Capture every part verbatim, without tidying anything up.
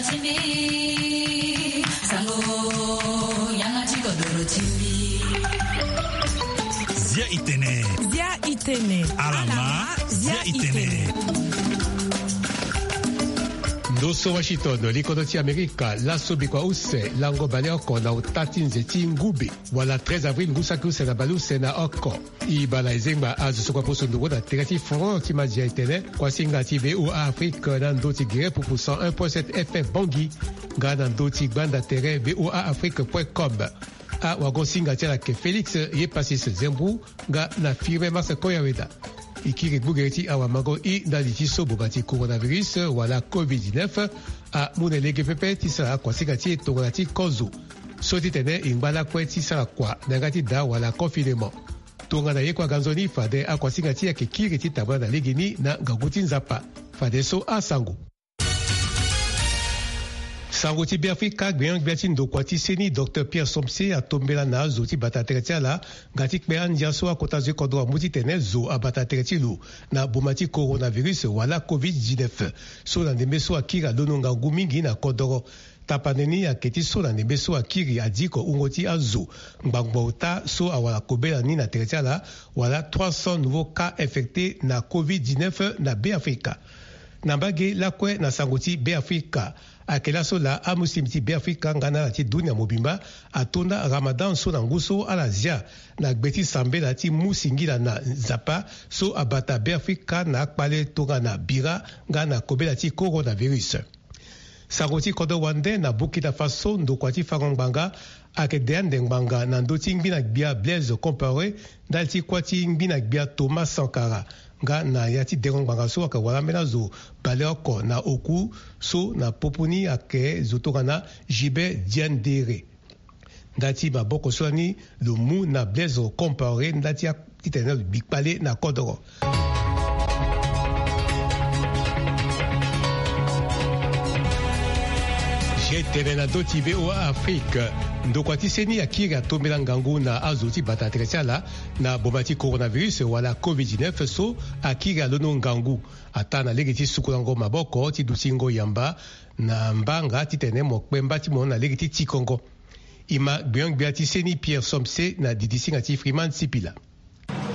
Zia itene. Zia itene. Alama. Zia itene. Ndo so Washington, likodo ti Amerika, laso bikua use lango baleoko na ota ti nze ti ngube, wala treize avril ngu saki use na baleuse na oko. E baa na ezengba azo so kue aposo ndongo na tere ti front ti madia etene kuasinga ti VOA Afrique na ndö ti gere pupu cent un point sept F M Bangui, nga na ndö ti gbanda tere VOA Afrique point com. Awagosinga ti ala ayeke Félix Yepasis Zembou nga na Firmin Marcel Koyaweda. E kiri gbogere ti awamango i ndali ti so boma ti coronavirus wala covid dix-neuf amu na e lege pepe ti sara kuasinga ti e tongana ti kozo. So titene e ngba lakue ti sara kua na yanga ti daa wala confinement. Tongana ye kue aga nzoni fade akuasinga ti e ayeke kiri ti tambula na legeni na ngangu ti Nzapa. Fadeso asango. Sango ti Beafrika, gbenyo-gbia ti ndokua ti seni, Docteur Pierre Somse, atombela na azo ti bata tere ti ala nga ti kpe andia so akota zo ti kodro amu titene zo abata tere ti lo na boma ti coronavirus wala covid dix-neuf. So na ndembe so akiri alondo ngangu mingi na kodoro. Tapande ni ayeke ti so na ndembe so akiri adiko wungo ti azo ngbangbo ota so awara kobela ni na tere ti ala, wala trois cents nouveaux cas infectés na covid dix-neuf na Beafrika. Na mbage lakue na sango ti Beafrika, ayeke laso laa amuslim ti Beafrika nga na ala ti dunia mobimba atonda Ramadan so na ngu so ala zia na gbe ti sambela ti mu singila na Nzapa so abata Beafrika na akpale tongana bira nga na kobela ti coronavirus. Sango ti kodro wande, na Burkina Faso, ndokua ti fango ngbanga ayeke de ande ngbanga na ndö ti ngbina gbia Blaise Compaoré ndali ti kuâ ti ngbina gbia Thomas Sankara, nga na ya ti dengo ngbanga so ayeke wara ambeni azo baleoko na oku so na popo ni ayeke zo tongana Gilbert Diendéré. Nda ti maboko so lani lo mu na Blaise Compaoré nda ti a-, titene lo gbi kpale na kodoro. Ge tene na ndö ti VOA Afrique, ndokua ti seni akiri atombela ngangu na azo ti bata tere ti ala na boma ti coronavirus wala covid dix-neuf so akiri alondo ngangu. Ataa na lege ti sukulango maboko ti dutingo yamba na mbanga titene mo kpe mba ti mo na lege ti tikongo. E ma gbenyo-gbia ti seni Pierre Somse na didisinga ti Freeman Sipila.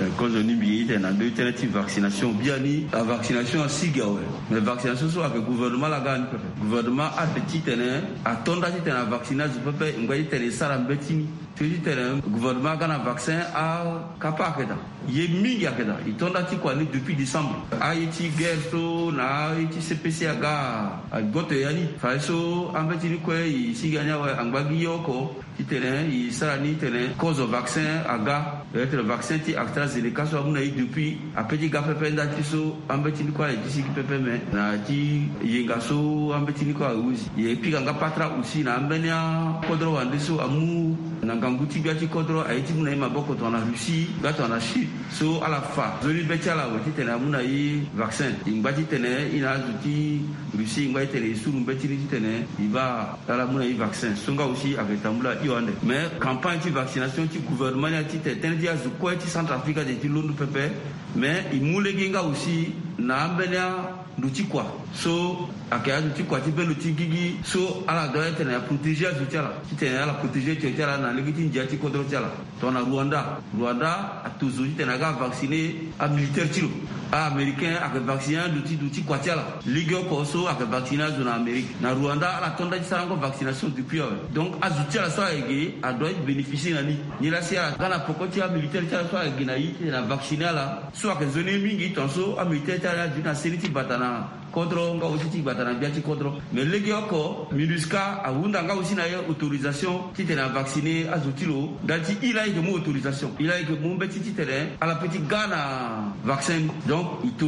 Eh, kozo ni mbi ye tene na ndö ti tënë ti vaccination biani, avaccination asigi awe. Mais vaccination so ayeke gouvernement laa aga ni pepe. Gouvernement ade titene ato nda titene avaccine azo pepe, ngba titene e sara mbeti ni. Ti titene gouvernement aga na vaccin, akapa ayeke daa. Ye mingi ayeke daa. E to nda ti kua ni depuis décembre. Aye ti guerre so na aye ti C P C aga, agoto ya ni. Fadeso ambeti ni kue e sigi ya ni awe, angba gi ye oko titene e sara ni titene kozo vaccin aga. Peut-être vaccin ti AstraZeneca so amu na e depuis, ape ti ga pepe nda ti so ambeti ni kue ala ye ti sigi pepe, me na ya ti yenga so ambeti ni kue ahuzi. E pika nga patara aussi na ambeni akodro wande so amu na ngangu ti gbia ti kodro aye ti mu na e maboko tongana Russie nga tongana Chine. So ala fa nzoni be ti ala awe titene amu na e vaccin. E ngba titene e na azo ti Russie, e ngba titene e suru mbeti ni titene e baa ala mu na e vaccin. So nga aussi ayeke tambula hio ande. Mais campagne ti vaccination ti gouvernement ni aye titene tënë ti azo kue ti Centrafrique ade ti londo pepe. Mais e mu lege nga aussi na ambeni ando ti kua so ayeke ando ti kua ti bendo ti gigi so ala doit titene aprotéger azo ti ala, titene ala protéger tio ti ala na lege ti ndia ti kodro ti ala. Tongana Rwanda, Rwanda ato zo titene aga avacciner amilitaire ti lo. Américain ayeke vacciner ando ti, ando ti kua ti ala. Lege oko so ayeke vacciner azo na Amérique. Na Rwanda ala to nda ti sarango vaccination depuis awe. Donc azo ti ala so ayeke ge adoit ti bénéficier na ni. Nilaa si ala ga na peko ti amilitaire ti ala so ayeke ge na e titene avacciner ala. So ayeke nzoni ye mingi tongaso amilitaire ti ala ni aduti na seni ti bata na kodro nga aussi ti gbata na gbia ti kodro. Mais lege oko MINUSCA ahunda nga aussi na e autorisation titene avacciner azo ti lo ndali ti e laa e yeke mu autorisation, e laa e yeke mu mbeti titene ala peut ti ga na vaccin ni. Donc e to,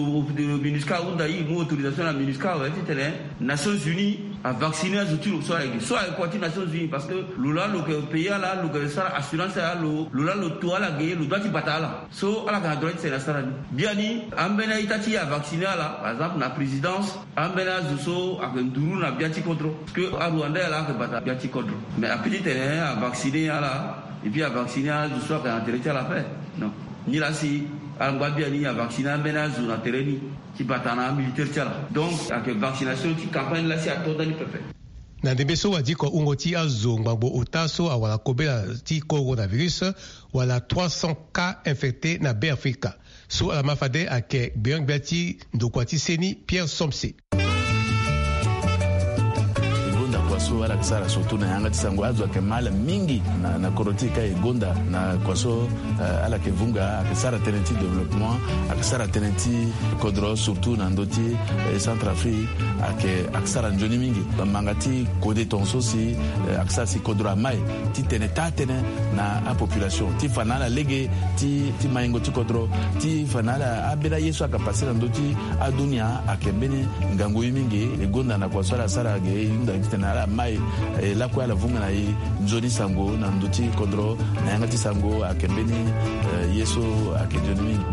MINUSCA ahunda e mu autorisation na MINUSCA awe titene Nations Unies avacciner azo ti lo so ala yeke, so ala yeke kua ti Nations Unies, parce que lo laa lo yeke pays ala, lo yeke sara assurance ala, lo, lo laa lo to ala ge, lo doit ti bata ala. So ala yeke na droit ti tene asara ni. Biani ambeni a-ita ti e avacciner ala, par exemple na présidence, ambeni azo so ayeke nduru na gbia ti kodro. Parce que aRwandais ala ayeke bata gbia ti kodro. Mais apeut ti tene avacciner ala, et puis avacciner azo so ayeke na tere ti ala ape. Non. Nilaa si ala ngba biani avacciner ambeni azo na tere ni ti bata na amilitaire ti ala. Donc ayeke vaccination ti campagne laa si ato ndani pepe. Na ndembe so wadiko wungo ti azo ngbangbo ota so awara kobela ti coronavirus, wala trois cents cas infectés na Beafrika. So ala ma fade ayeke gbeon-gbia ti ndokua ti seni Pierre Somse. E gonda kua so ala yeke sara surtout na yanga ti sango. Azo ayeke ma ala mingi na, na kodro ti e ka e gonda na kua so, eh, ala yeke vunga, ayeke sara tënë ti développement, ayeke sara tënë ti kodro surtout na ndö ti, eh, Centrafrique, ayeke, ayeke sara nzoni mingi. Manga ti kode tongaso si, eh, ayeke sara si kodro amai titene taa tënë na apopulation ti fa na ala lege ti, ti maingo ti kodro, ti fa na ala ambeni aye so ayeke pase na ndö ti adunia ayeke mbeni ngangu ye mingi. E gonda na kua so ala sara ge, e hunda titene ala mai, eh, lakue ala vunga na e nzoni sango na ndö ti kodro, na yanga ti sango ayeke mbeni, eh, ye so ayeke nzoni mingi.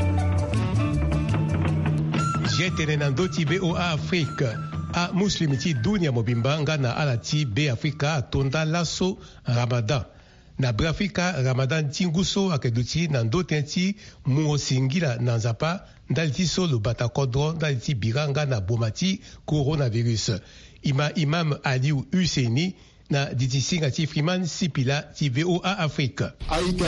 Ge tene na ndö ti VOA Afrique, amuslim ti dunia mobimba nga na ala ti Beafrika ato nda laso Ramadan. Na Beafrika, Ramadan ti ngu so ayeke duti na ndö tënë ti mu singila na Nzapa ndali ti so lo bata kodro ndali ti bira nga na boma ti coronavirus. E ma Imam Aliou Husseini na diti singa ti Freeman Sipila ti VOA Afrique. A-ita,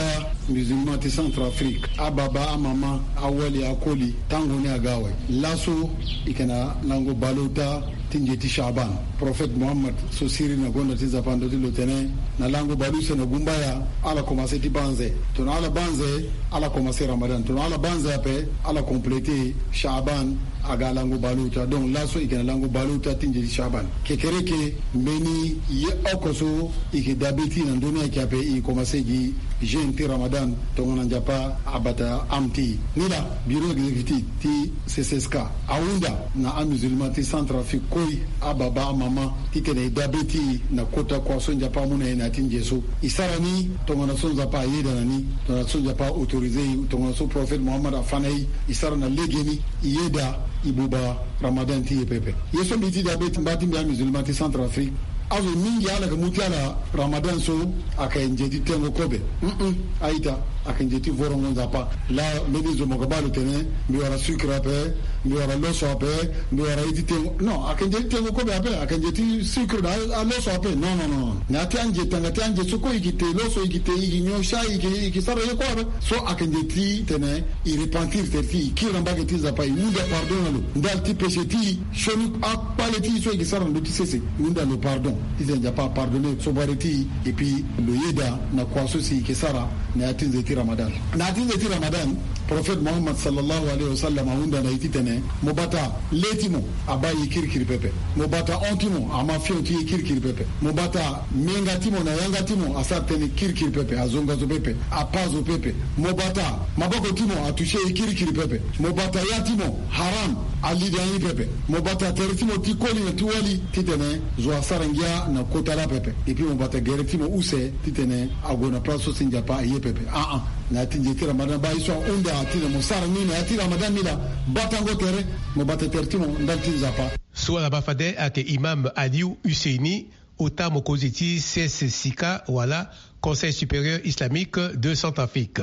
musulman ti Centrafrique, ababa, amama, awali, akoli, tango ni aga awe. Laso e yeke na lango baleota ti nze ti Chaban. Prophète Mohammed so siriri na gonda ti Nzapa ndo ti lo tene, na lango baleuse na gumbaya, ala komanse ti banze. Tongana ala banze, ala komanse Ramadan. Tongana ala banze ape, ala compléter Chaban, aga lango baleota. Donc laso e yeke na lango baleota ti nze ti Chaban. Kekereke, mbeni ye oko so e yeke dabe ti e na ndö ni ayeke ape, e komanse gi jeûne ti Ramadan tongana Nzapa abata âme ti e. Ni laa, bureau exécutif ti C C S K ahunda na amusulman ti Centrafrique kue, ababa, amama, titene e dabe ti e na kota kua so Nzapa amu na e na ya ti nze so. E sara ni tongana so Nzapa ayeda na ni, tongana so Nzapa a-autorisé e, tongana so Prophète Mohammed afa na e. E sara na legeni, e yeda, e buba Ramadan ti e pepe. Ye so mbi ti dabe ti mba ti mbi amusulman ti Centrafrique, azo mingi ala yeke mu ti ala Ramadan so ayeke nze ti tengo kobe. Mm-mm. A-ita, ayeke nze ti vorongo Nzapa. Laa mbeni zo mo yeke baa lo tene mbi wara sucre ape, mbi wara loso ape, mbi wara ye ti tengo. Non, ayeke nze ti tengo kobe ape, ayeke nze ti sucre na a, aloso ape. Non, non, non. Na ya ti anze, tanga ti anze so kue e yeke te loso, e yeke te, e yeke nyon sha, e yeke, e yeke sara ye kue ape. So ayeke nze ti tene e repentir tere ti e, e kiri na mbage ti Nzapa, e hunda pardon na lo ndali ti péché ti e, sioni akpale ti e so e yeke sara na ndö ti sese, e hunda lo pardon. Titene Nzapa apardonné sobare ti e, et puis lo yeda na kua so si e yeke sara na ya ti nze ti Ramadan. Na ya ti nze ti Ramadan, Prophète Mohammed sallallahu alayhi wa sallam ahunda na e titene mo bata le ti mo abaa ye kirikiri pepe. Mo bata hon ti mo ama fion ti ye kirikiri pepe. Mo bata menga ti mo na yanga ti mo asara tënë kirikiri pepe, azonga zo pepe, apa zo pepe. Mo bata maboko ti mo atouché ye kirikiri pepe. Mo bata ya ti mo haram ali da ni pepe. Mo bata tere ti mo ti koli na ti wali titene zo asara ngia na kota laa pepe. Et puis mo bata gere ti mo use titene ague na place so si Nzapa aye pepe. Ah ah. Na ya ti nze ti Ramadan baa ye so ahunda titene mo sara ni na ya ti Ramadan ni laa, batango tere, mo bata tere ti mo ndali ti Nzapa. So ala baa fade ayeke Imam Aliou Husseini, ota mokonzi ti C S C K wala Conseil Supérieur Islamique de Centrafrique.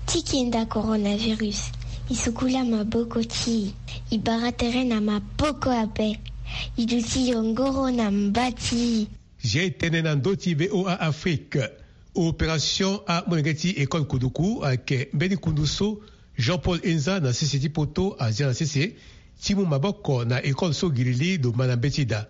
Ti kenda coronavirus, e sukula maboko ti e, e bara tere na maboko ape, e duti yongoro na mba ti e. Ge tene na ndö ti VOA Afrique. Opération amolenge ti école kuduku ayeke mbeni kundu so Jean-Paul Enza na sese ti poto azia na sese ti mu maboko na école so girili lo ma na mbeti daa.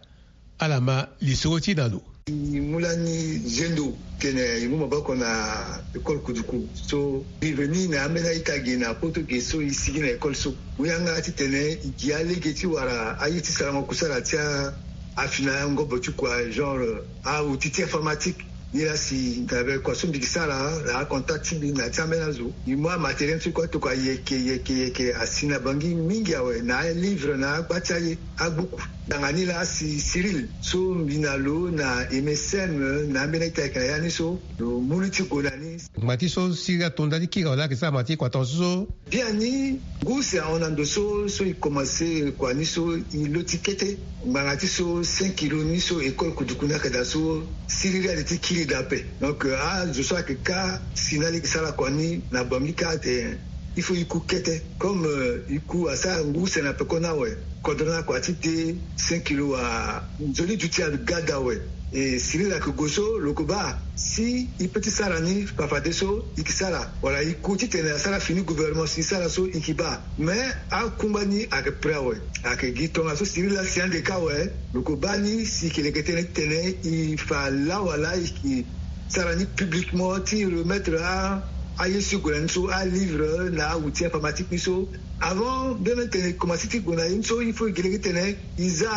Ala ma lisoro ti na lo. E mu lani zendo tene e mu maboko na école kuduku so e veni na ambeni a-ita ge na poto ge so e sigi na école so. Mu yanga titene e gi alege ti wara aye ti sarango kusala ti a, afina ngobo ti kua genre aoutil ti informatique. Nilaa si na kua so mbi gi sara na acontact ti mbi na ya ti ambeni azo, e mu amatériel ti kua tokua yeke yeke yeke asi na bangi mingi awe, na alivre na agba ti aye, agbuku. Tanga nilaa si Cyril so mbi na lo na MSM na ambeni a-ita ayeke na ya ni so lo mu li ti gue na ni. Ngba ti so siriri ato ndali ti kiri awe laa ayeke sara ma ti kua tongaso so. Biani ngu si ahon na ndo so so e komanse kua ni so e lo ti kete ngbanga ti so cinq kilo ni so école kuduku ni ayeke daa so siriri ali ti kiri daa ape. Donc azo so ayeke ka si na lege sara kua ni na bangi kâ ate. Il faut iku kete comme iku asara ngu sena peko na we. Kodro na kua ti de cinq kilo wa nzoni duti aga da we. E sirila ke goso lo ko ba si i pe ti sara ni fafadeso i ki sara wala i ku titene asara fini gouvernement si i sara so i ki ba. Mais akungba ni ake pre awe. Ake gi tongaso sirila si ande ka awe. Lo ko ba ni si i ke leke tene titene i fa la wala i ki sara ni publiquement ti remettre a aye si gue na ni so alivre na awuti informatique ni so. Avant bene tene komanse ti gue na ye ni so il faut i gi lege tene i za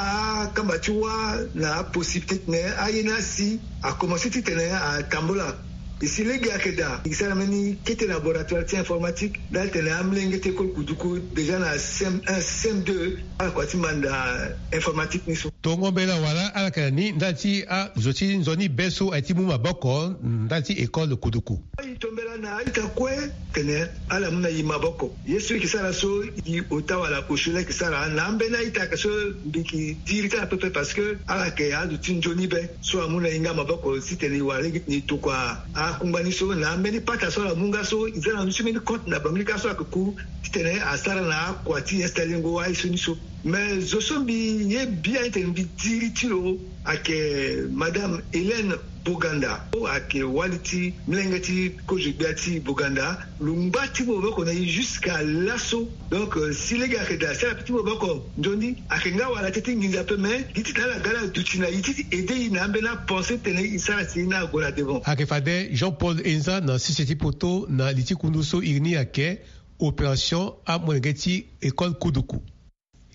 akamba ti wâ na apossibilité tene aye ni asi akomanse titene atambula. E si lege ayeke daa e sara mbeni kete laboratoire ti informatique ndali tene amolenge ti école kuduku déjà na cm un cm deux ala kua ti manda informatique ni so. Tongo mbela wala ala yeke na ni ndali ti azo ti nzoni be so aye ti mu maboko ndali ti école kuduku. Ayi tombela na aita kue tene ala mu na i maboko ye so i ke sara so i ota wala osio la i ke sara na ambeni aita ke so mbi ke diri ti ala pepe parce que ala ke azo ti nzoni be so amu na i nga maboko titene i wara lege titene i tokua akungba ni so na ambeni pata so ala mu nga so i za na ndö ti mbeni compte na banglika so ayeke ku titene asara na akua ti installer ngo aye so ni so. Mais zo so mbi ye bia titene mbi diri ti lo ayeke madame Hélène Boganda. Ayeke wali ti molenge ti kozo gbia ti Boganda. Lo ngba ti maboko na e jusqu'à laso. Donc si lege ayeke daa si ala pe ti maboko nzoni ayeke nga wala teti nginza pe mais gi titene ala ga ala duti na e ti ti aide e na ambeni apense titene e sara si e na ague na devant. Ayeke fade Jean Paul Enza na sese ti poto na li ti kundu so iri ni ayeke opération amolenge ti école kuduku.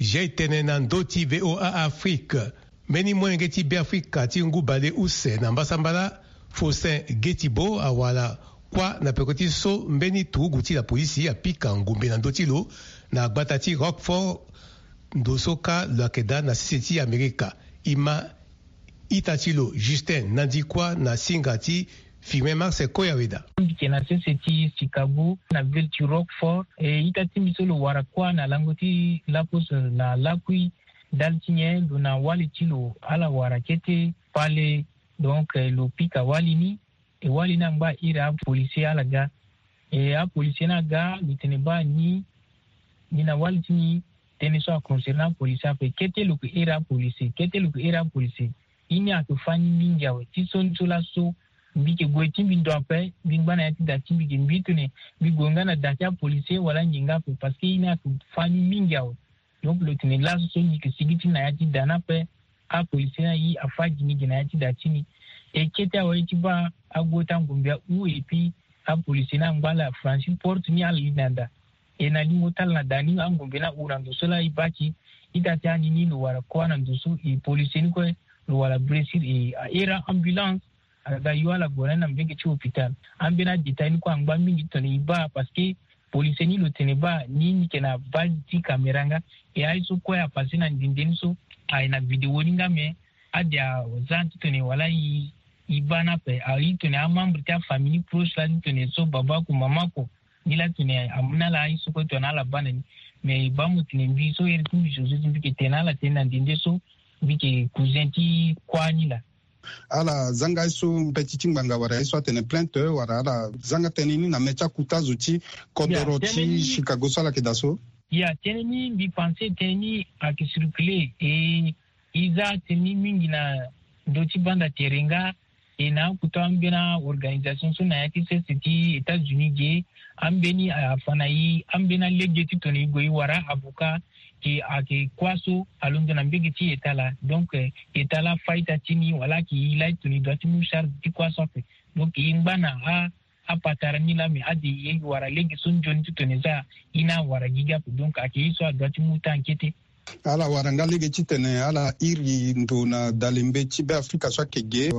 Jai tene na ndö ti VOA Afrique. Mbeni molenge ti Beafrika ti ngu bale use na mbasambala Faustin Getibo awara kuâ na peko ti so mbeni turugu ti lapolisi apika ngombe na ndö ti lo na gbata ti Rockford. Ndo so kâ lo yeke daa na sese ti Amerika. E ma ita ti lo Justin Nandikwa na singa ti Firmin Marcel Koyaweda. Mbi yeke na sese ti Chicago na ville ti Rockford. E ita ti mbi so lo wara kuâ na lango ti laposo na lakui ndali ti nyen lo na wali ti lo ala wara kete pale. Donc lo pika wali ni e wali ni angba iri apolisier ala ga. E apolisier ni aga lo tene baa ni ni na wali ti ni tënë so aconcerné apolisier ape kete lo ke iri apolisier kete lo ke iri apolisier. I ni ayeke fâ ni mingi awe ti so ni so laso. Mbi yeke gue ti mbi ndo ape mbi ngba na ya ti da ti mbi ge mbi tene mbi gue nga na da ti apolisier wala nginga ape parce que i ni ayeke fâ ni mingi awe. Donc lo tene laso so mbi yeke sigi ti na ya ti da ni ape. Apolisier ni aye afâ gi ni gi na ya ti da ti ni. E kete awe ti baa ague ti angombe ahu et puis apolisier ni angba ala franchir porte ni ala li na da. E na lingo ti ala na da ni angombe ni ahu na ndo so laa e baa ti ita ti ani ni lo wara kuâ na ndo so e policier ni kue lo wara blessure e ahera ambulance. Ala ga yo ala gue na ni na mbege ti hôpital. Ambeni adétail ni kue angba mingi titene e baa parce que policier ni lo tene baa ni ni yeke na base ti caméra nga. E aye so kue apasse na ndende ni so aye na vidéo ni nga me ade aza titene wala e baa ni ape aye titene amembre ti afamille ni proche laa titene so baba oko mama oko. Ni laa tene amu na ala aye so kue tongana ala baa na ni. Mais e baa mo tene mbi so here ti mbi zo so ti mbi yeke tene na ala tënë na ndende so mbi yeke cousin ti kuâ ni laa. Ala zanga ye so mbeti ti ngbanga wala ye so atene plainte wala ala zanga tënë ni na mê ti akuta zo ti kodoro ti Chicago so ala yeke daa so? Ya tënë ni mbi pense tënë ni ayeke circuler e e za tënë ni mingi na ndö ti banda tere nga. E na akuta ambeni aorganisation so na ya ti sese ti États-Unis ge ambeni afa na e ambeni alege titene e gue e wara avocat. Ke ayeke kuâ so alondo na mbege ti eta laa. Donc eta laa faita ti ni wala ayeke e laa titene e doit ti mu charge ti kuâ so ape. Donc e ngba na apatara ni laa me ade e wara lege so nzoni titene za e na awara gi gi ape. Donc ayeke ye so adoit ti mu temps kete. Ala wara nga lege titene ala iri ndo na dalembe ti Beafrika so ayeke ge.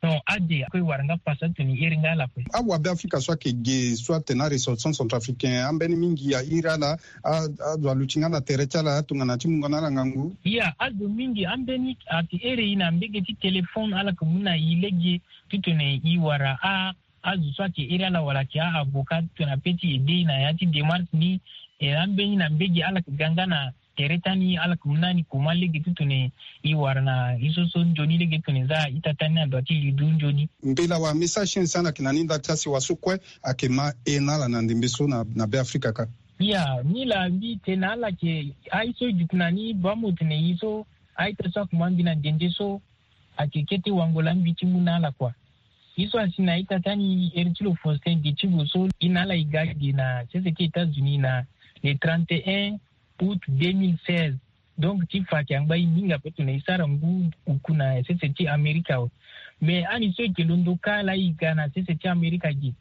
Non ade ako e wara nga pasa titene e iri nga ala ape. Awabeafrika so ayeke ge so atene aressortissant centrafricain ambeni mingi airi ala. Azo aluti nga na tere ti ala tongana ti mungo na ala ngangu. Ya azo mingi ambeni ayeke iri e na mbege ti téléphone ala yeke mu na e lege titene e wara a azo so ayeke iri ala wala ayeke a-avocat titene ape ti aide e na ya ti démarche ni. E ambeni na mbege ala yeke ga nga na tere ti ani, ala yeke mu na ani koma lege ti tene e wara na ye so so nzoni lege ti tene za ita ti ani na ndo ti lidu nzoni. Mbela wala message ti en si ala yeke na ni nda ti asi wa so kue ayeke ma e na ala na ndembe so na, na Be Afrika kâ. Iya, ni laa mbi tene na ala ke, aye so e duti na ni baa mo tene ye so, a-ita so akoma mbi na ndende so, ayeke kete wango laa mbi ti mu na ala kua. Ye so asi na a-ita ti ani iri ti lo Faustin Getibo so, e na ala e ga ge na sese ti États-Unis na le trente et un août deux mille seize. Donc ti fa ayeke angba e mingi ape tongana e sara ngu oku na sese ti Amerika awe. Mais ani so e yeke londo kâ laa e ga na sese ti Amerika ge,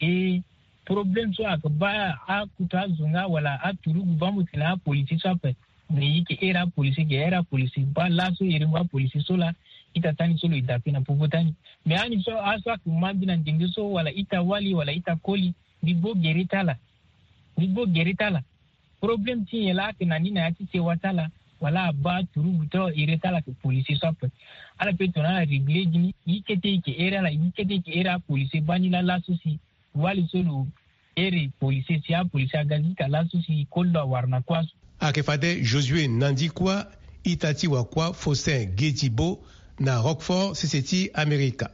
e problème so ayeke baa akutu azo nga wala aturugu baa mo tene apolisi so ape. Mais e yeke here apolisi ge, here apolisi baa laso e rengo apolisi so laa ita ti ani so lo e dape na popo ti ani. Mais ani so aso ayeke ma mbi na ndende so wala ita wali wala ita koli, mbi gbo gere ti ala. Mbi gbo gere ti ala. Problème ti nyen laa ayeke na ni na ya ti sewa ti ala? Wala abaa turugu ti ere ti ala ayeke policier so ape. Ala pe tongana ala réglé gi ni, ye kete e yeke ere ala, ye kete e yeke ere apolicier baa ni laa laso si wali so lo ere policier si apolicier aga zika laso si koli lo awara na kua so. Ayeke fade Josué Nandi kua, ita ti wa kua Faustin Gedibo, na Rockford, sese ti Amerika.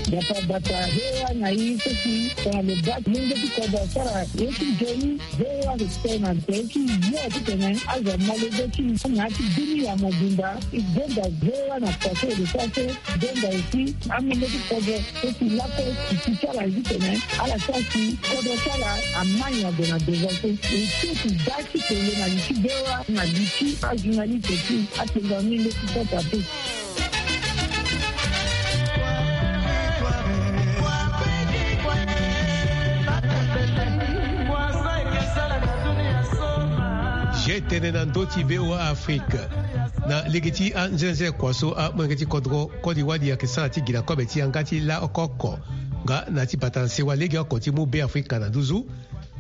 Bata bata, he wa na i seki, tongana lo baa ti mungo ti kodro asara ye ti nzoni, he wa respect na nze ti yo titene azo amolenge ti na ya ti bini ya mobimba. I gbenda he wa na kua so e lo sara so, gbenda aussi amungo ti kodro so si lakue ti ti ti ala titene ala sara si kodro ti ala ama nyen ague na devant so. E ti ti da ti tene na li ti bewa na li ti ajournaliste ti atenda ni nde ti kota te. Je tene na ndö ti V O A Afrique. Na lege ti anzenze kua so amolenge ti kodro koli wali ayeke sara ti gi na kobe ti yanga ti la oko oko nga na ti bata na sewa legeoko ti mu Be Afrika na nduzu.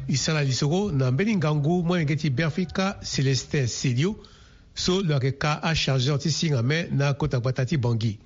E sara lisoro na mbeni ngangu molenge ti Be Afrika Célestin Celio so lo yeke ka achargeur ti singa me na kota gbata ti Bangui.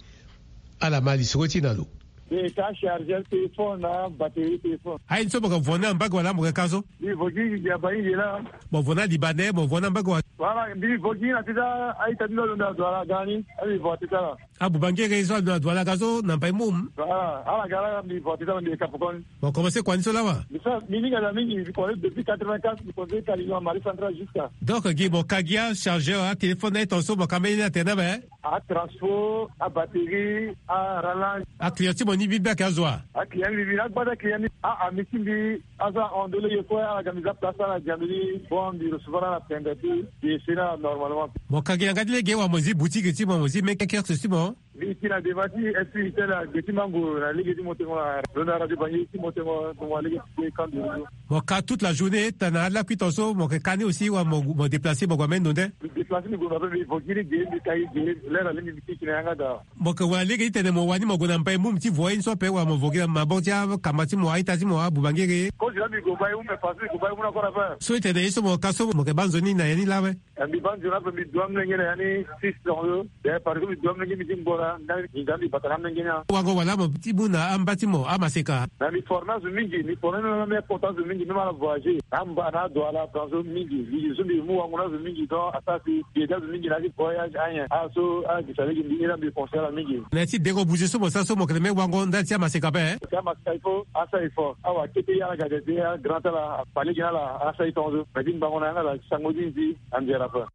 Ala ma lisoro ti na lo. E ka chargeur téléphone na batterie téléphone. Aye ni so mo yeke vo ni na mbage wala mo yeke ka so? Mbi vo gi gi gi abaa ni ge laa. Mo vo ni na Libanais, mo vo ni na mbage wala? Voilà, mbi vo gi na ti ti a-ita ti mbi alondo na Douala aga ni, a mbi vo na ti ti ala. Abubangere so alondo na Douala aga so na Mbaye Moum? Voilà, ala ga laa mbi vo na ti ti ala, mbi yeke ka pokoni. Mo komanse kua ni so lawa? Mbi sara, mbi hinga daa mingi, mbi komanse depuis quatre-vingt-quatre, mbi komanse ka lingoma Mali Central jusqu'à. Donc gi mo ka gi achargeur, atéléphone na e tongaso mo ka mbeni ni atene na be? Atransport, abatterie, arallonge. Aclient ti mo ni mbi mbi ayeke azo wa? Aclient mbi mbi na agba ti aclient ni, a-ami ti mbi aza hon de lege kue, ala ga mbi za place ala diambi ni, bon mbi recevoir ala pembe ti mbi essayer na ala normalement. Mo ka gi yanga ti lege wala mo zi boutique ti mo, mo zi meke kiosque ti mo? Mbi ti na devant ti S P I T L, gbe ti mango na lege ti mo tengo na lo na radio Bangui ti mo tengo, mo wa lege ti kandu. Mo ka toute la journée, tana alakui tongaso mo yeke ka ni aussi wala mo, mo déplacer mo gue ambeni ndo nde? Mbi déplacer mbi gue mba ape, mbi vo gi ni ge, mbi ka gi ge, l'heure alingbi mbi kiki na yanga daa. Mo yeke wara lege ti tene mo wani mo gue na Mbaye Moum ti vo ye ni so ape wala mo vo gi na maboko ti akamba ti mo, a-ita ti mo, abubangere? Kozo laa mbi gue Mbaye Moum, mais façon mbi gue Mbaye Moum na kora ape. So e tene ye so mo ka so mo yeke baa nzoni na ya ni laa ape? Eh, mbi baa nzoni ape, mbi du amolenge na ya ni six ans so. Eh, parce que mbi du amolenge mbi ti ngbora, nga mbi ga mbi bata na amolenge ni. Wango wala mo ti mu na amba ti mo amaseka? Na mbi former azo mingi, mbi former même, même kota azo mingi, même ala voyager. Na amba na Douala, France so mingi. Mbi zo mbi mu wango na azo mingi, donc asara si mbi ede azo mingi na ya ti voyage, anyen. Ala so ala gi sa lege mbi ni laa mbi conseiller ala mingi. Na ya ti dengo bouger so mo sara so mo yeke na même wango ndali ti amaseka ape, hein? Ti amaseka il faut asara effort. Awa kete ye ala ga de de, ala grand ti ala, afa lege na ala, asara e tongaso. Mais ti ngbanga na yanga daa, sango ti nzi, anzere ape.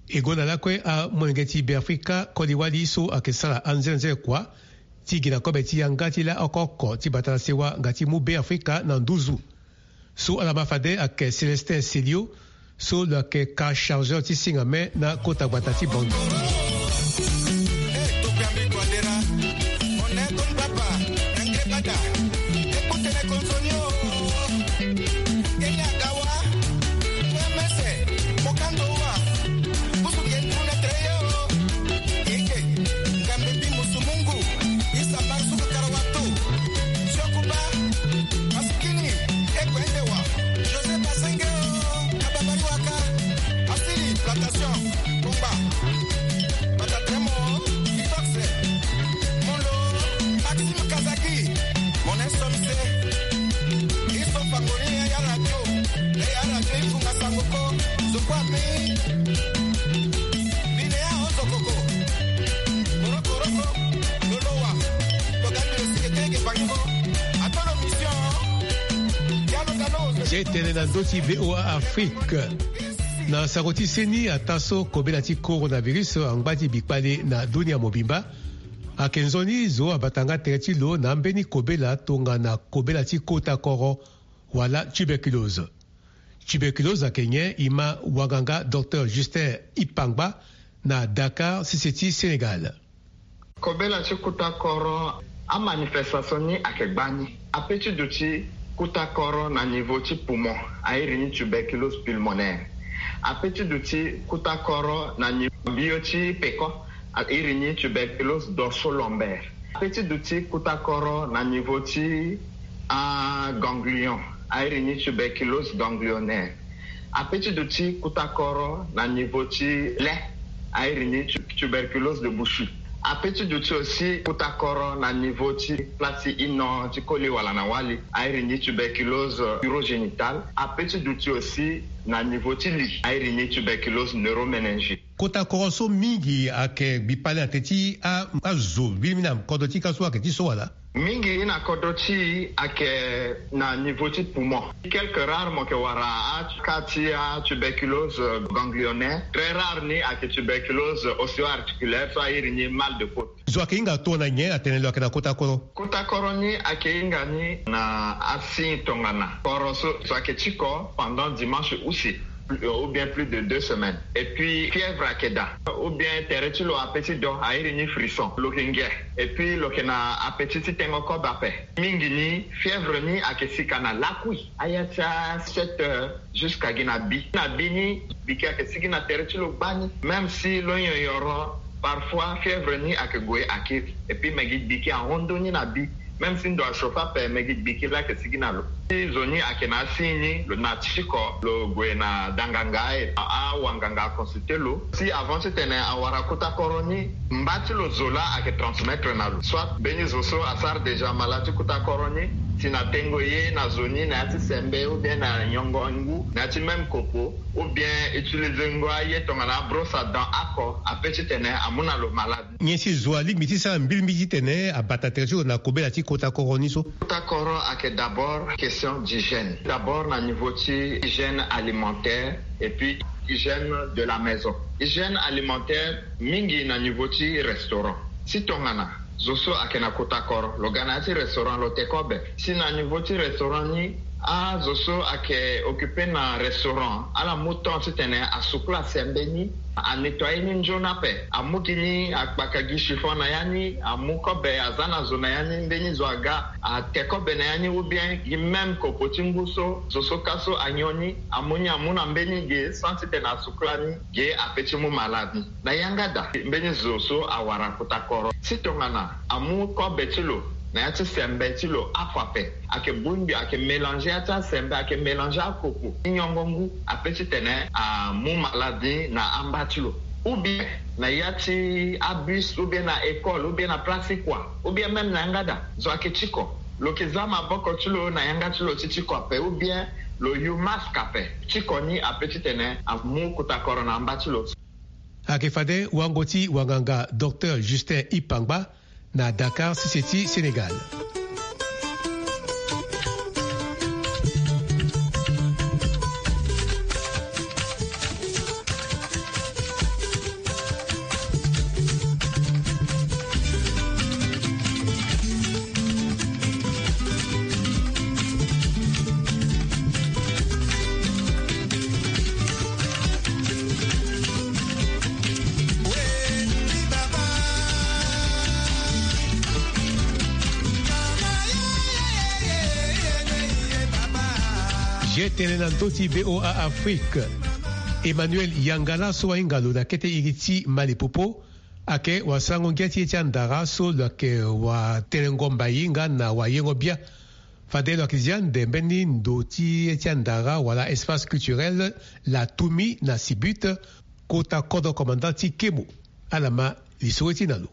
E gonda lakue amolenge ti Beafrika koli wali so ayeke sara anzenze kua ti gi na kobe ti yanga ti la oko oko ti bata na sewa nga ti mu Beafrika na nduzu. So ala ma fade ayeke Célestin Celio, so lo yeke ka chargeur ti singa me na kota gbata ti Bangui. Ti tene na ndö ti V O A Afrique. Na sango ti seni, ataa so kobela ti coronavirus angba ti bikpale na dunia mobimba, ayeke nzoni zo abata nga tere ti lo na ambeni kobela tongana kobela ti kota koro wala tuberculose. Tuberculose ayeke nyen? E ma wanganga Docteur Justin Ipangba na Dakar, sese ti Sénégal. Kobela ti kuta koro, amanifestation ni ayeke gbani. Ape ti duti kuta koro na niveau ti poumon, a iri ni tuberculose pulmonaire. Ape ti duti kuta koro na niveau bio ti peko, a iri ni tuberculose dorso-lombaire. Ape ti duti kuta koro na niveau ti, ah, ganglion, a iri ni tuberculose ganglionnaire. Ape ti duti kuta koro na niveau ti le, a iri ni tu-, tuberculose de Buchy. Ape ti duti aussi kuta koro na niveau ti place ti ino ti koli wala na wali, a iri ni tuberculose urogénitale. Ape ti duti aussi na niveau ti li, a iri ni tuberculose neuroméningite. Kota koro so mingi ayeke gbi pale na tere ti a, azo mbili mingi na kodro ti ka so ayeke ti so wala? Mingi na kodro ti e ayeke na niveau ti poumon. Quelques rares mo yeke wara a, ka ti a tuberculose ganglionnaire. Très rare ni ayeke tuberculose ostéo-articulaire, so a iri ni mal de côte. Zo ayeke hinga tongana nyen atene lo ayeke na kota koro? Kota koro ni ayeke hinga ni na asigne tongana koro so, so ayeke tiko pendant dimanche use, ou bien plus de deux semaines. Et puis fièvre ayeke daa, ou bien tere ti lo ape ti do, a iri ni frisson, lo yeke nge. Et puis lo yeke na appétit ti tengo kobe ape. Mingi ni fièvre ni ayeke sika na lakui, aya ti a sept heures jusqu'à gi na bi. Na bi ni, biki ayeke sigi na tere ti lo gbani. Même si lo nyonyoro, parfois fièvre ni ayeke gue akiri. Et puis me gi biki ahon ndoni na bi. Même si ndo achauffe ape, me gi biki laa ayeke sigi na lo. Si zo ni ayeke na asigne ni, lo na tiko, lo gue na danganga, e, a, awanganga aconsulter lo. Si avant titene awara kota koro ni, mba ti lo zo laa ayeke transmettre na lo. Soit mbeni zo so asara déjà malade ti kota koro ni, si na tengo ye na zo ni na ya ti sembe, ou bien na nyongo ngu, na ya ti même kopo, ou bien utiliser ngo aye tongana brosse à dents oko, ape titene amu na lo malade. Nyen si zo alingbi ti sara mbilimbili titene abata tere ti lo na kobela ti kota koro ni so? Kota koro ayeke d'abord question d'hygiène. D'abord na niveau ti hygiène alimentaire et puis hygiène de la maison. Hygiène alimentaire mingi na niveau ti restaurant. Si tongana zo so ayeke na kota koro, lo ga na ya ti restaurant, lo te kobe. Si na niveau ti restaurant ni, azo so ayeke occuper na restaurant, ala mu temps titene asukula sembe ni, anettoyer ni nzoni ape, amu gi ni, akpaka gi chiffon na ya ni, amu kobe, aza na zo na ya ni, mbeni zo aga, ate kobe na ya ni, ou bien gi même kopo ti ngu so zo so ka so anyon ni, amu ni amu na mbeni ge sans titene asukula ni, ge ape ti mu malade ni. Na yanga daa, mbeni zo so awara kota koro, si tongana amu kobe ti lo na ya ti sembe ti lo oko ape, ayeke bongbi, ayeke mélanger ya ti asembe, ayeke mélanger akopo ti nyongo ngu, ape titene amu malade ni na amba ti lo. Ou bien na ya ti abus, ou bien na école, ou bien na place ti kua, ou bien même na yanga daa, zo ayeke tiko, lo yeke za maboko ti lo na yanga ti lo ti tiko ape, ou bien lo yu masque ape. Tiko ni ape titene amu kota koro na amba ti lo. Ayeke fade wango ti wanganga Docteur Justin Ipangba na Dakar, sese ti Sénégal. Ye tene na ndö ti V O A Afrique. Emmanuel Yangala so ahinga lo na kete iri ti Mali Popo, ayeke wasarango ngia ti ye ti andara so lo yeke watelengo mbai nga na wayengo bia. Fade lo yeke zi ande mbeni ndo ti ye ti andara wala espace culturel La Toumi na Sibut, kota kodro commandant ti Kemo. Ala ma lisoro ti e na lo.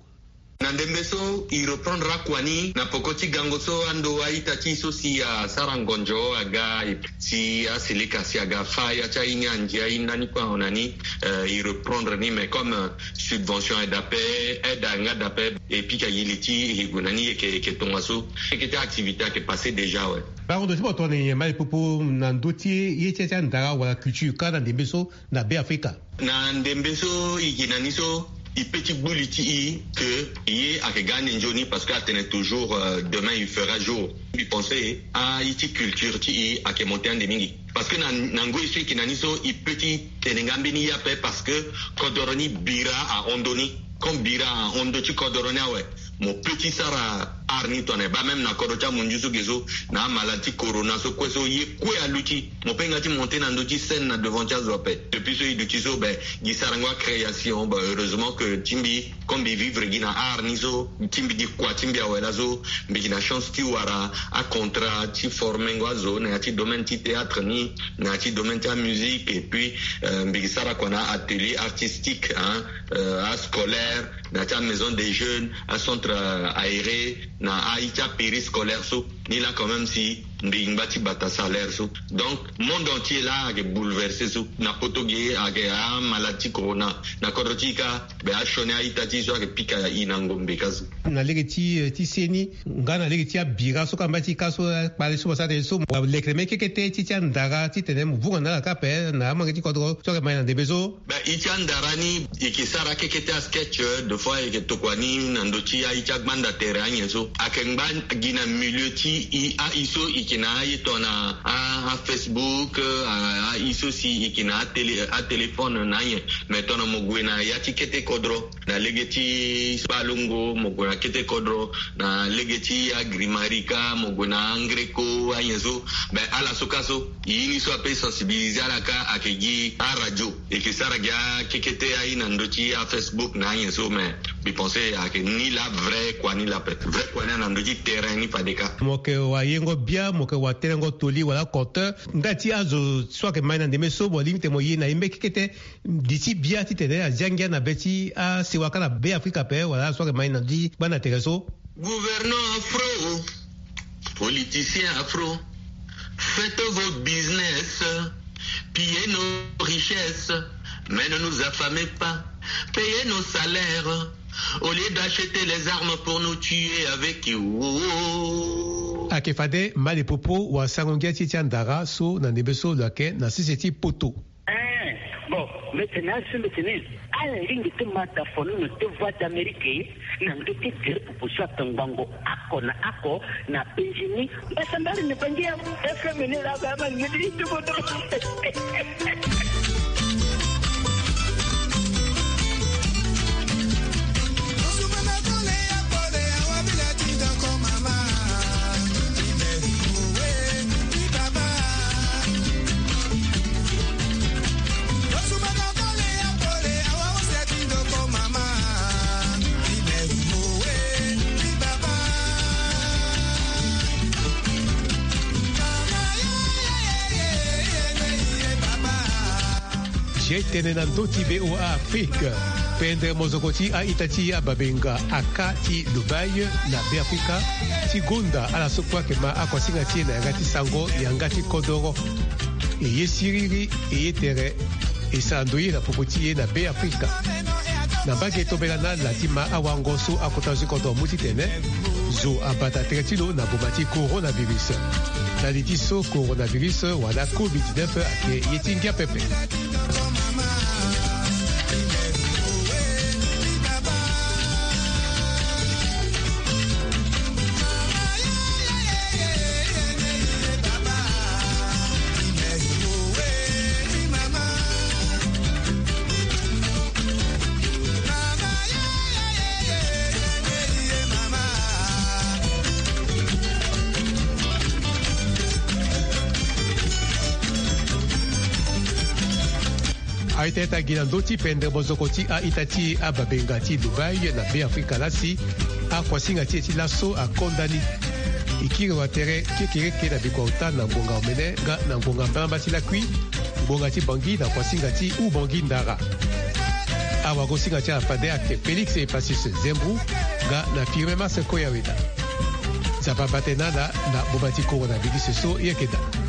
Na ndembe so e reprendre akua ni na poko ti gango so ando a-ita ti e so si asara ngonzo aga, si aseleka si aga fa ya ti aye ni andi aye ndani kue awe na ni. Eh, e reprendre ni, mais comme, eh, subvention aye daa ape, aide ayeke nga daa ape, e pika gi li ti e gue na ni, e yeke, e yeke tongaso. Keke ti activité ayeke passé déjà awe. Barondo ti mo tongana nyen, Mali Popo, na ndö ti ye ti, ti andara wala culture ka na ndembe so na Be Afrika? Na ndembe so e yeke na ni so, e pe ti gbu li ti e ke e ye ayeke ga ande nzoni, parce que atene toujours, euh, demain il fera jour. Mbi pense aye ti culture ti e ayeke monté ande mingi. Parce que na, na ngoi so e yeke na ni so, e pe ti tene nga mbeni ye ape, parce que kodoro ni bira ahon ndö ni. Comme bira ahon ndö ti kodoro ni awe, mo pe ti sara art ni tongana e baa même na kodro ti amunzu so ge so, na amalade ti corona so kue so, ye kue aluti. Mo pe nga ti monté na ndö ti scène na devant ti azo ape. Depuis so e duti so, ben, gi sarango acréation, ben, heureusement que ti mbi, comme mbi vivre gi na art ni so, ti mbi gi kua ti mbi awe laso, mbi gi na chance ti wara acontra ti formengo azo na ya ti domaine ti théâtre ni, na ya ti domaine ti amusique, et puis, euh, mbi gi sara kua na atelier artistique, hein, euh, ascolaire, na ya ti amaison des jeunes, acentre, euh, aéré, na aye ti apériscolaire so. Ni laa quand même si mbi ngba ti bata salaire so. Donc, monde entier laa ayeke bouleversé so. Na poto ge ayeke amalade ti corona. Na kodro ti e kâ, be asioni a-ita ti e so ayeke pika e na ngombe kâ so. Na lege ti, eh, ti seni, nga na lege ti abira so kamba ti e kâ so, eh, kpale so mo sara tene so, mo lekere mbeni kekete ti, ti andara titene mo vunga na ala kâ ape na amolenge ti kodro so ayeke ma e na ndembe so. Be, e ti andara ni, e yeke sara keke ti asketch, euh, deux fois e yeke tokua ni na ndö ti aye ti agbanda tere anyen so. Ayeke ngba gi na milieu ti e, aye so e yeke na aye tongana a, aFacebook, euh, a, aye so si e yeke na atélé-, atéléphone na anyen. Mais tongana mo gue na ya ti kete kodro, na lege ti Kpalongo, mo gue na kete kodro, na lege ti Agrimarika, mo gue na Angreko, anyen so. Ben, ala so kâ so, e ye ni so ape sensibiliser ala kâ ayeke gi aradio. E yeke sara gi akekete aye na ndö ti aFacebook na anyen so, mais mbi pense ayeke ni laa vrai kua ni laa ape. Vrai kua ni na ndö ti terrain ni fade kâ. Mo yeke wayengo bia, mo yeke waterengo toli wala compteur. Nga ti azo so ayeke ma e na ndembe so, mo lingbi tene mo ye na e mbeni kekete. Li ti bia titene azia ngia na be ti asewa kâ na Be Afrika ape, wala so ayeke ma e na ndö ti gbanda tere so. Gouvernants afro, politiciens afro, faites vos business, pillez nos richesses, mais ne nous affamez pas, payez nos salaires, au lieu d'acheter les armes pour nous tuer avec. Ayeke fade, Mali Popo, wasango ngia ti e ti andara so na ndembe so lo yeke na sese ti poto. Eh, bon, mbi tene asu, mbi tene ala lingbi ti ma dafono na deux voix d'Amérique na ndö ti tere popo so atongbango oko na oko na penzi ni. Mbasambala ni bangi ya F M ni laa, ba ma ni ti kodro. Zia e tene na ndö ti V O A Afrique. Pendere mozoko ti a-ita ti ababenga aka ti Dubaï na Be Afrika ti gonda ala so kue ayeke ma akuasinga ti e na yanga ti sango, yanga ti kodoro. E ye siriri, e ye tere, e sara ndoye na popo ti e na Be Afrika. Na mbage tombela na ala ti ma awango so akota zo ti kodro amu titene zo abata tere ti lo na boma ti coronavirus. Na li ti so, coronavirus wala covid dix-neuf ayeke ye ti ngia pepe. Aye ti e ata gi na ndö ti pendere mozoko ti a-ita ti ababenga ti Dubaï na Be Afrika laa si akuasinga ti e ti laso akonda ni. E kiri wa tere kekereke na bikua ota na ngonga omene nga na ngonga mbalambala ti lakui, ngonga ti Bangui na kuasinga ti Oubangui Ndara. Awagosinga ti ala fade ayeke Félix Epacis Zembou. Nda na pire mase koya weda. Nzapa bate na nda na boba ti koro na bigise so yeke daa.